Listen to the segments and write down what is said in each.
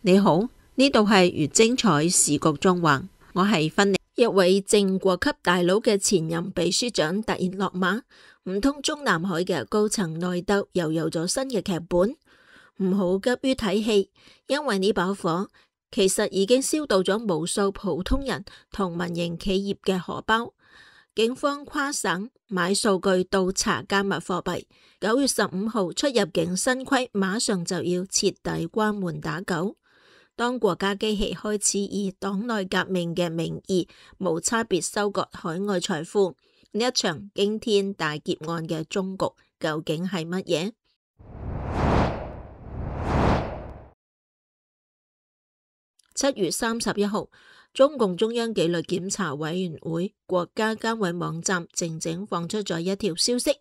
你好，呢度係越精彩時局縱橫，我係芬妮。一位正國級大佬嘅前任秘書長突然落馬，唔通中南海嘅高層內鬥又有咗新嘅劇本？唔好急於睇戲，因為呢把火其實已經燒到咗無數普通人同民營企業嘅荷包。警方跨省買數據倒查加密貨幣，9月15號出入境新規馬上就要徹底關門打狗。當國家機器開始以黨內革命嘅名義無差別收割海外財富，呢一場驚天大劫案嘅終局究竟係乜嘢？7月31號，中共中央紀律檢查委員會國家監委網站靜靜放出咗一條消息：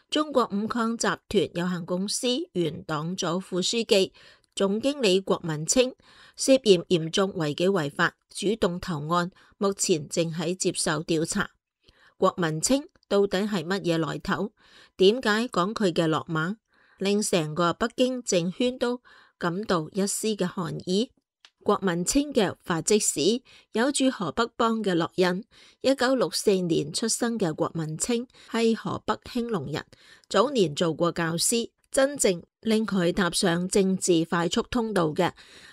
中國五礦集團有限公司原黨組副書記、總經理郭文清涉嫌嚴重違紀違法，主動投案，目前正喺接受調查。郭文清到底係乜嘢來頭？點解講佢嘅落馬，令成個北京政圈都感到一絲嘅寒意？郭文清嘅發跡史有住河北幫嘅烙印。1964年出生嘅郭文清係河北興隆人，早年做過教師。真正令佢踏上政治快速通道嘅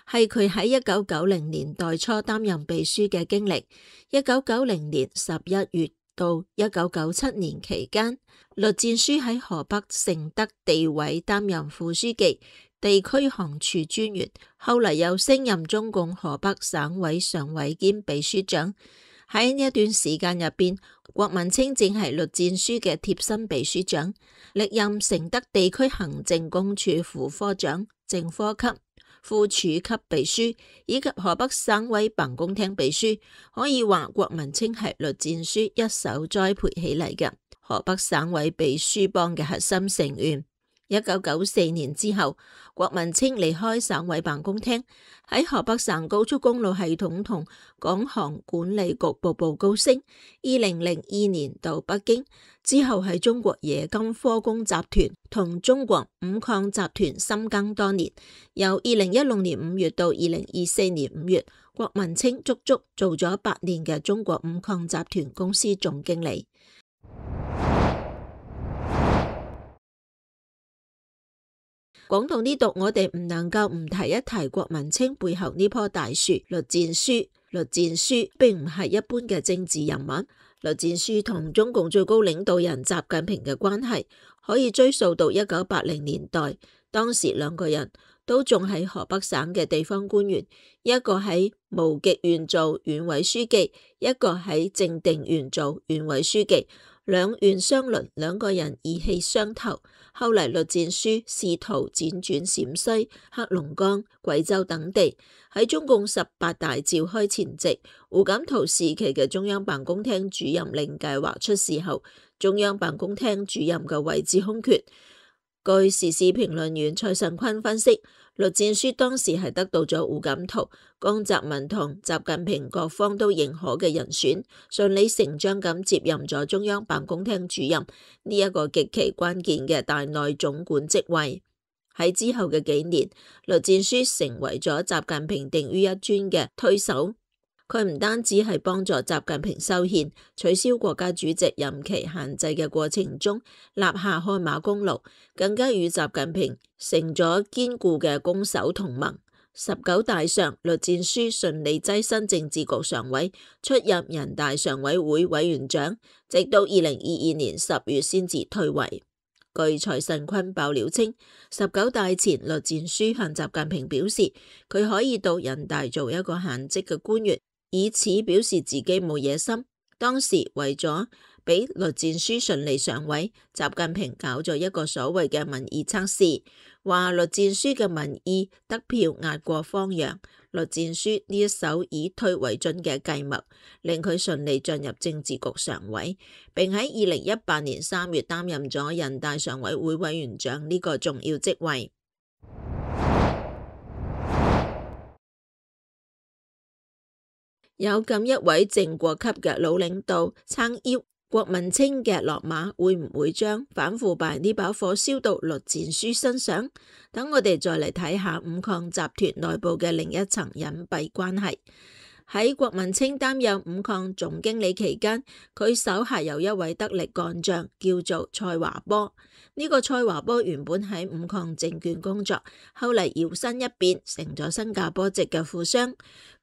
係佢喺1990年代初擔任秘書嘅經歷。1990年11月到1997年期間，栗戰書喺河北承德地委擔任副書記、地區行署專員，後嚟又升任中共河北省委常委兼秘書長。喺呢一段時間入邊，郭文清正係栗戰書嘅貼身秘書長，歷任承德地區行政公署副科長、正科級、副處級秘書以及河北省委辦公廳秘書。可以話郭文清係栗戰書一手栽培起嚟嘅河北省委秘書幫嘅核心成員。1994年之後，郭文清離開省委辦公廳，喺河北省高速公路系統同港航管理局步步高升。2002年到北京之後，喺中國冶金科工集團同中國五礦集團深耕多年。由2016年5月到2024年5月，郭文清足足做咗8年嘅中國五礦集團公司總經理。講到呢度，我哋唔能夠唔提一提郭文清背後呢棵大樹栗戰書。栗戰書並唔係一般嘅政治人物，栗戰書同中共最高領導人習近平嘅關係可以追溯到1980年代，當時兩個人都仲係河北省嘅地方官員，一個喺無極縣做縣委書記，一個喺正定縣做縣委書記。兩縣相鄰，兩個人意氣相投。後嚟栗戰書試圖輾轉陝西、黑龍江、貴州等地。喺中共18大召開前夕，胡錦濤時期嘅中央辦公廳主任令計劃出事後，中央辦公廳主任嘅位置空缺。據時事評論員蔡慎坤分析，栗戰書當時係得到咗胡錦濤、江澤民同習近平各方都認可嘅人選，順理成章咁接任咗中央辦公廳主任呢一個極其關鍵嘅大內總管職位。喺之後嘅幾年，栗戰書成為咗習近平定於一尊嘅推手。佢唔單止係幫助習近平修憲、取消國家主席任期限制嘅過程中立下汗馬功勞，更加與習近平成咗堅固嘅攻守同盟。19大上，栗戰書順利躋身政治局常委，出任人大常委會委員長，直到2022年10月先至退位。據蔡慎坤爆料稱，19大前栗戰書向習近平表示，佢可以到人大做一個閒職嘅官員，以此表示自己冇野心。當時為咗俾栗戰書順利上位，習近平搞咗一個所謂嘅民意測試，話栗戰書嘅民意得票壓過方陽。栗戰書呢一手以退為進嘅計謀，令佢順利進入政治局常委，並喺2018年3月擔任咗人大常委會委員長呢個重要職位。有咁一位正國級嘅老領導撐腰，郭文清嘅落馬會唔會將反腐敗呢把火燒到栗戰書身上？等我哋再嚟睇下五礦集團內部嘅另一層隱蔽關係。喺郭文清擔任五礦總經理期間，佢手下有一位得力幹將叫做蔡華波。呢個蔡華波原本喺五礦證券工作，後嚟搖身一變成咗新加坡籍嘅富商。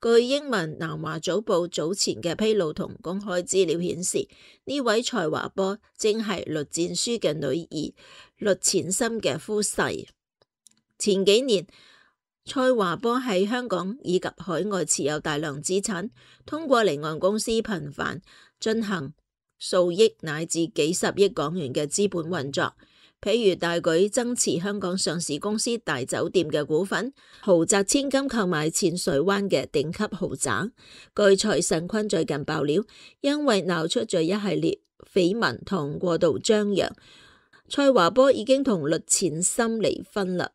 據英文南華早報早前嘅披露同公開資料顯示，呢位蔡華波正係栗戰書嘅女兒栗淺心嘅夫婿。前幾年，蔡華波喺香港以及海外持有大量資產，通過離岸公司頻繁進行數億乃至幾十億港元嘅資本運作，譬如大舉增持香港上市公司大酒店嘅股份，豪擲千金購買淺水灣嘅頂級豪宅。據蔡慎坤最近爆料，因為鬧出咗一系列緋聞同過度張揚，蔡華波已經同栗淺心離婚啦。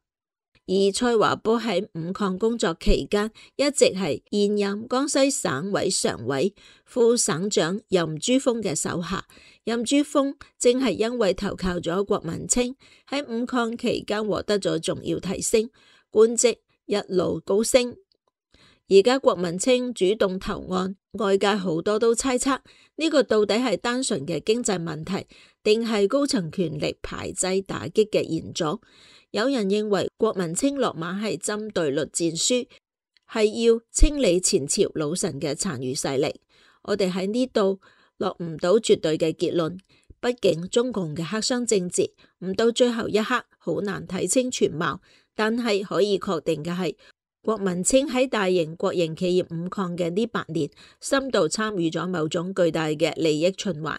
而蔡華波喺五礦工作期間，一直係現任江西省委常委、副省長任珠峰嘅手下。任珠峰正係因為投靠咗郭文清，喺五礦期間獲得咗重要提升，官職一路高升。而家郭文清主動投案，外界好多都猜測呢個到底係單純嘅經濟問題，定係高層權力排擠打擊嘅延續？有人認為郭文清落馬係針對栗戰書，係要清理前朝老臣嘅殘餘勢力。我哋喺呢度落唔到絕對嘅結論，畢竟中共嘅黑箱政治唔到最後一刻好難睇清全貌。但係可以確定嘅係，郭文清喺大型國營企業五礦嘅呢8年，深度參與咗某種巨大嘅利益循環。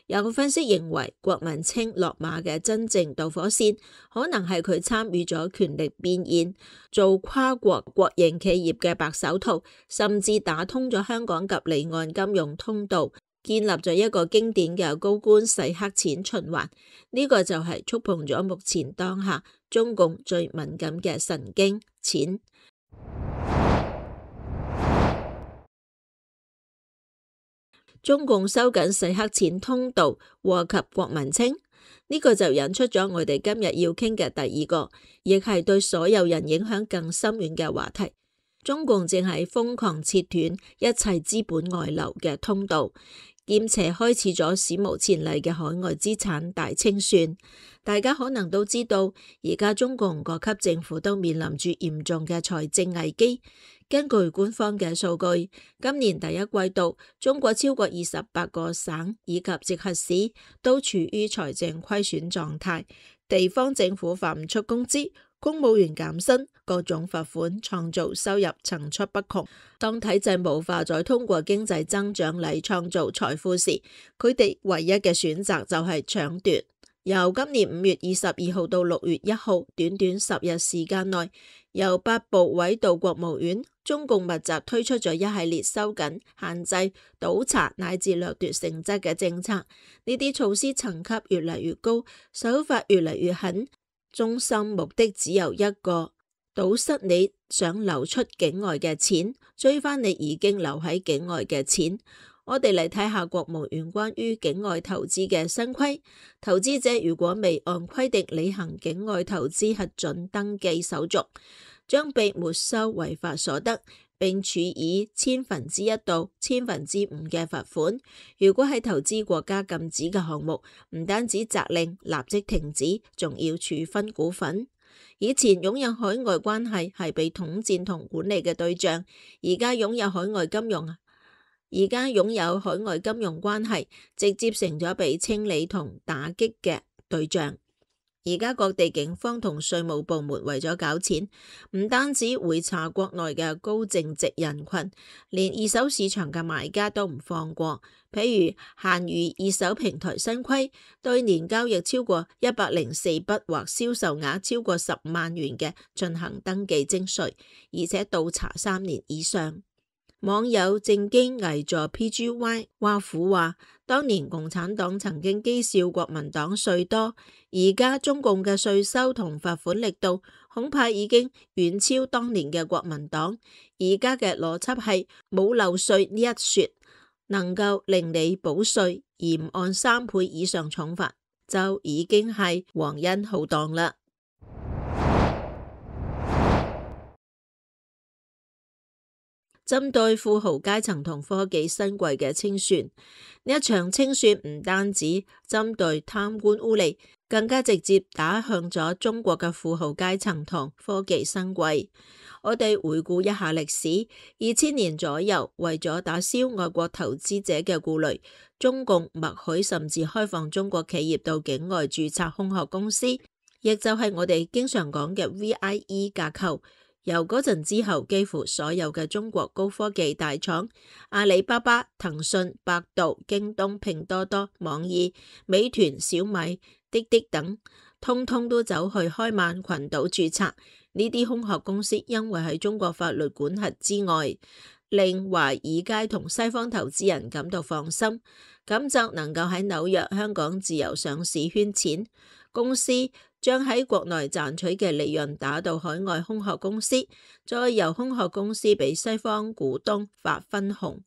有分析認為，郭文清落馬嘅真正導火線，可能係佢參與咗權力變現，做跨國國營企業嘅白手套，甚至打通咗香港及離岸金融通道，建立咗一個經典嘅高官洗黑錢循環。呢個就係觸碰咗目前當下中共最敏感嘅神經——錢。中共收緊洗黑錢通道，禍及郭文清，呢個就引出咗我哋今日要傾嘅第二個，亦係對所有人影響更深遠嘅話題。中共正係瘋狂切斷一切資本外流嘅通道，兼且開始咗史無前例嘅海外資產大清算。大家可能都知道，而家中共各級政府都面臨住嚴重嘅財政危機。根據官方嘅數據，今年第一季度，中國超過28個省以及直轄市都處於財政虧損狀態，地方政府發唔出工資，公務員減薪，各種罰款，創造收入層出不窮。當體制無法再通過經濟增長嚟創造財富時，佢哋唯一嘅選擇就係搶奪。由今年5月22號到6月1號，短短10日時間內，由8部委到國務院，中共密集推出咗一系列收緊、限制、倒查乃至掠奪性質嘅政策。呢啲措施層級越嚟越高，手法越嚟越狠，中心目的只有一個：堵塞你想流出境外嘅錢，追翻你已經留喺境外嘅錢。我哋嚟睇下國務院關於境外投資嘅新規，投資者如果未按規定履行境外投資核准登記手續，將被沒收違法所得，並處以1/1000到5/1000嘅罰款。如果係投資國家禁止嘅項目，唔單止責令立即停止，仲要處分股份。以前擁有海外關係係被統戰同管理嘅對象，而家擁有海外金融關係，直接成咗被清理同打擊嘅對象。而家各地警方同稅務部門為咗搞錢，唔單止會查國內嘅高淨值人群，連二手市場嘅買家都唔放過。譬如閒魚二手平台新規，對年交易超過104筆或銷售額超過10萬元嘅進行登記徵稅，而且倒查3年以上。網友正經偽助 PGY 挖苦話，當年共產黨曾經譏笑國民黨稅多，而家中共嘅稅收同罰款力度恐怕已經遠超當年嘅國民黨。而家嘅邏輯係冇漏稅呢一說，能夠令你保稅而唔按3倍以上重罰，就已經係皇恩浩蕩啦。針對富豪階層同科技新貴嘅清算，呢一場清算唔單止針對貪官污吏，更加直接打向咗中國嘅富豪階層同科技新貴。我哋回顧一下歷史，2000年左右，為咗打消外國投資者嘅顧慮，中共默許甚至開放中國企業到境外註冊空殼公司，亦就係我哋經常講嘅 VIE 架構。由嗰陣之後，幾乎所有嘅中國高科技大廠，阿里巴巴、騰訊、百度、京東、拼多多、網易、美團、小米、滴滴等，通通都走去開曼群島註冊。呢啲空殼公司因為喺中國法律管轄之外，令華爾街同西方投資人感到放心，咁就能夠喺紐約、香港自由上市圈錢。公司將喺國內賺取嘅利潤打到海外空殼公司，再由空殼公司俾西方股東發分紅。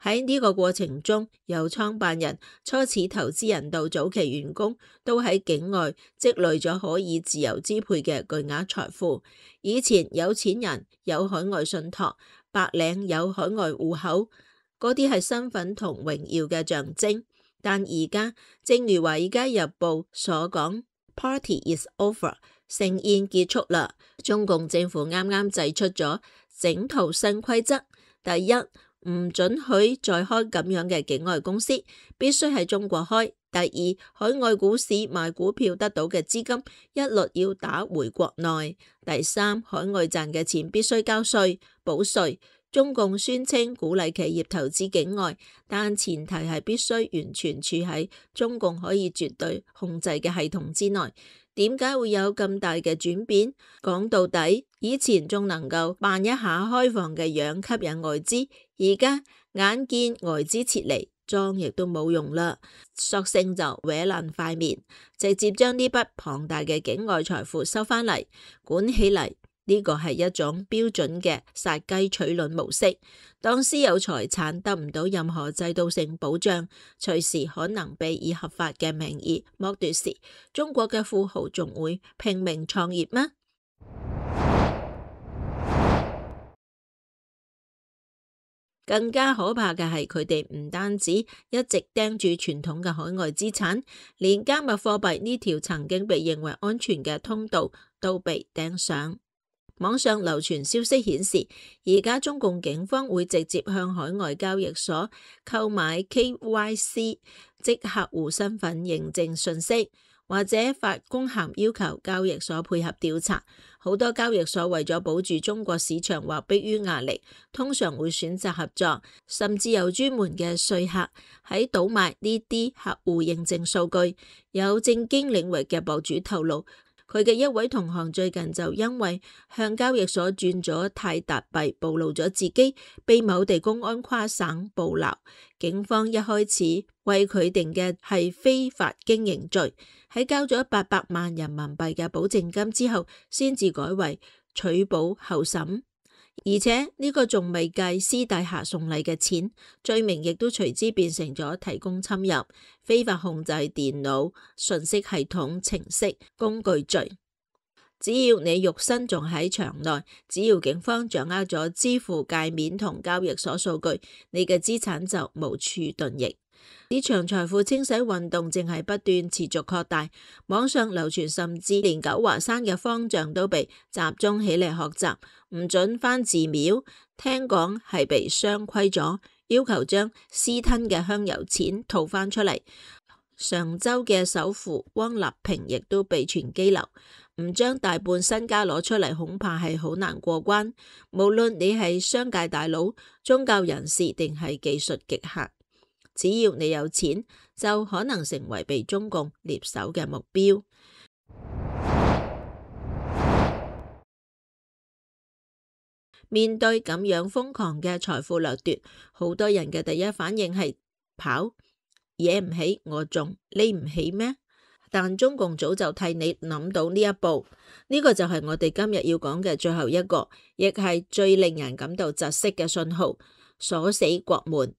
喺呢個過程中，由創辦人、初始投資人到早期員工，都喺境外積累咗可以自由支配嘅巨額財富。以前有錢人有海外信託，白領有海外戶口，嗰啲係身份同榮耀嘅象徵。但而家，正如《華爾街日報》所講， Party is over， 盛宴結束啦。中共政府啱啱祭出咗整套新規則，第一，唔准許再開咁樣嘅境外公司，必須喺中國開。第二，海外股市賣股票得到嘅資金一律要打回國內。第三，海外賺嘅錢必須交稅補稅。中共宣稱鼓勵企業投資境外，但前提係必須完全處喺中共可以絕對控制嘅系統之內。點解會有咁大嘅轉變？講到底，以前仲能夠扮一下開放嘅樣吸引外資，而家眼見外資撤離，裝亦都冇用啦，索性就搲爛塊面，直接將呢筆龐大嘅境外財富收返嚟，管起嚟。呢個係一種標準嘅殺雞取卵模式。當私有財產得唔到任何制度性保障，隨時可能被以合法嘅名義剝奪時，中國嘅富豪仲會拼命創業嗎？更加可怕嘅係，佢哋唔單止一直盯住傳統嘅海外資產，連加密貨幣呢條曾經被認為安全嘅通道都被盯上。網上流傳消息顯示，而家中共警方會直接向海外交易所購買 KYC， 即客戶身份認證信息，或者發公函要求交易所配合調查。好多交易所為咗保住中國市場或迫於壓力，通常會選擇合作，甚至有專門嘅說客喺倒賣呢啲客戶認證數據。有政經領域嘅博主透露，佢嘅一位同行最近就因為向交易所轉咗泰達幣，暴露咗自己，被某地公安跨省捕撈。警方一開始為佢定嘅係非法經營罪，喺交咗800萬人民幣嘅保證金之後，先至改為取保候審。而且呢個仲未計私底下送禮嘅錢，罪名亦都隨之變成咗提供侵入、非法控制電腦、信息系統、程式、工具罪。只要你肉身仲喺場內，只要警方掌握咗支付界面同交易所數據，你嘅資產就無處遁形。呢場財富清洗運動正係不斷持續擴大，網上流傳甚至連九華山嘅方丈都被集中起嚟學習，唔准返寺廟，聽講係被雙規咗，要求將私吞嘅香油錢吐返出嚟。常州嘅首富汪立平亦都被傳羈留，唔將大半身家攞出嚟，恐怕係好難過關。無論你係商界大佬、宗教人士定係技術極客，只要你有錢，就可能成為被中共獵手嘅目標。面對咁樣瘋狂嘅財富掠奪，好多人嘅第一反應係跑，惹唔起我仲匿唔起咩？但中共早就替你諗到呢一步，呢個就係我哋今日要講嘅最後一個，亦係最令人感到窒息嘅信號：鎖死國門。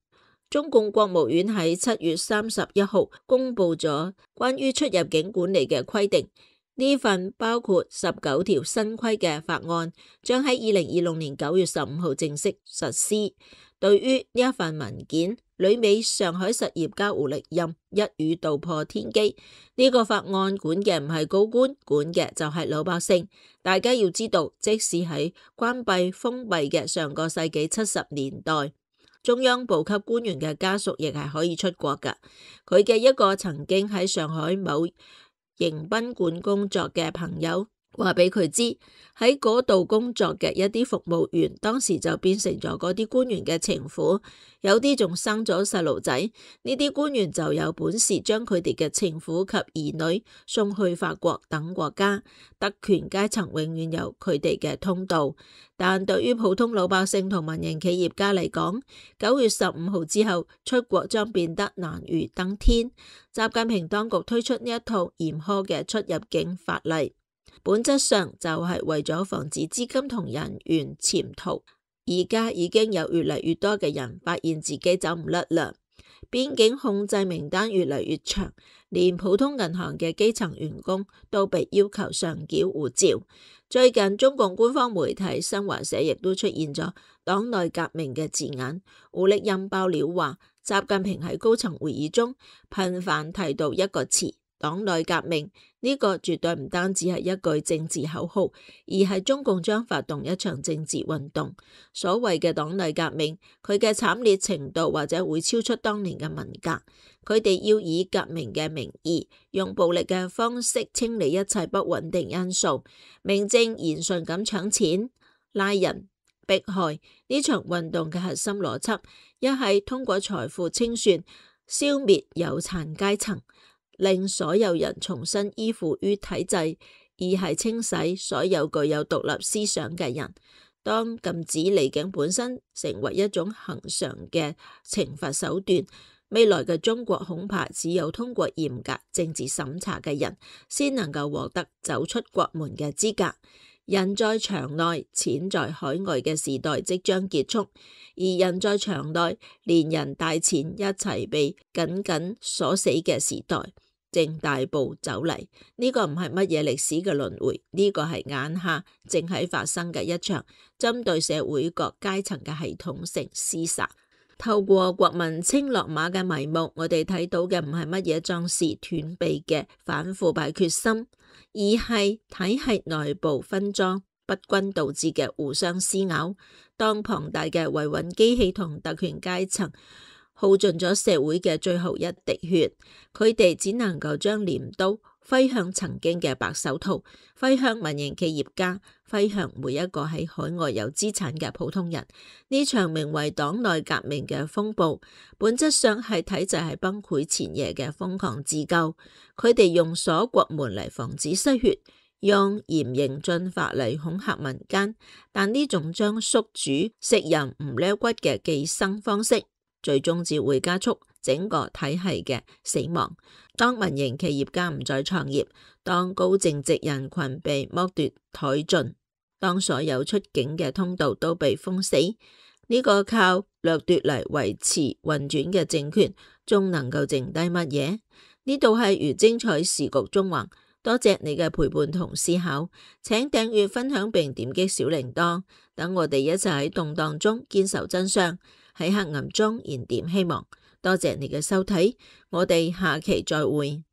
中共國務院喺7月31號公布咗關於出入境管理嘅規定，呢份包括19條新規嘅法案將喺2026年9月15號正式實施。對於呢一份文件，旅美上海實業家胡力任一語道破天機，呢個法案管嘅唔係高官，管嘅就係老百姓。大家要知道，即使喺關閉封閉嘅上個世紀70年代，中央部級官員嘅家屬亦係可以出國㗎。佢嘅一個曾經喺上海某迎賓館工作嘅朋友話俾佢知，喺嗰度工作嘅一啲服務員當時就變成咗嗰啲官員嘅情婦，有啲仲生咗細路仔。呢啲官員就有本事將佢哋嘅情婦及兒女送去法國等國家，特權階層永遠有佢哋嘅通道。但對於普通老百姓同民營企業家嚟講，9月15號之後出國將變得難如登天。習近平當局推出呢一套嚴苛嘅出入境法例，本質上就係為咗防止資金同人員潛逃。而家已經有越嚟越多嘅人發現自己走唔甩啦，邊境控制名單越嚟越長，連普通銀行嘅基層員工都被要求上繳護照。最近中共官方媒體新華社亦都出現咗黨內革命嘅字眼，胡力任爆料話，習近平喺高層會議中頻繁提到一個詞，黨內革命。呢個絕對唔單止係一句政治口號，而係中共將發動一場政治運動。所謂嘅黨內革命，佢嘅慘烈程度或者會超出當年嘅文革。佢哋要以革命嘅名義，用暴力嘅方式清理一切不穩定因素，名正言順咁搶錢、拉人、迫害。呢場運動嘅核心邏輯，一係通過財富清算消滅有產階層，令所有人重新依附於體制；二係清洗所有具有獨立思想嘅人。當禁止離境本身成為一種恆常嘅懲罰手段，未來嘅中國恐怕只有通過嚴格政治審查嘅人，先能夠獲得走出國門嘅資格。人在場內，錢在海外嘅時代即將結束，而人在場內，連人帶錢一齊被緊緊鎖死嘅時代正大步走嚟。呢個唔係乜嘢歷史嘅輪迴，呢個係眼下正喺發生嘅一場針對社會各階層嘅系統性廝殺。透過國民清落馬嘅眉目，我哋睇到嘅唔係乜嘢壯士斷臂嘅反腐敗決心，而係體系內部分贓不均導致嘅互相撕咬。當龐大嘅維穩機器同特權階層耗盡咗社會嘅最後一滴血，佢哋只能夠將鐮刀揮向曾經嘅白手套，揮向民營企業家，揮向每一個喺海外有資產嘅普通人。呢場名為黨內革命嘅風暴，本質上係體制喺崩潰前夜嘅瘋狂自救。佢哋用鎖國門嚟防止失血，用嚴刑峻法嚟恐嚇民間，但呢種將宿主食人唔掠骨嘅寄生方式，最終只會加速整個體系嘅死亡。當民營企業家唔再創業，當高淨值人群被剝奪殆盡，當所有出境嘅通道都被封死，呢個靠掠奪嚟維持運轉嘅政權，仲能夠剩低乜嘢？呢度係如精彩時局中環，多謝你嘅陪伴同思考，請訂閱分享並點擊小鈴鐺，等我哋一齊喺動盪中堅守真相，喺黑暗中燃點希望。多謝你嘅收睇，我哋下期再會。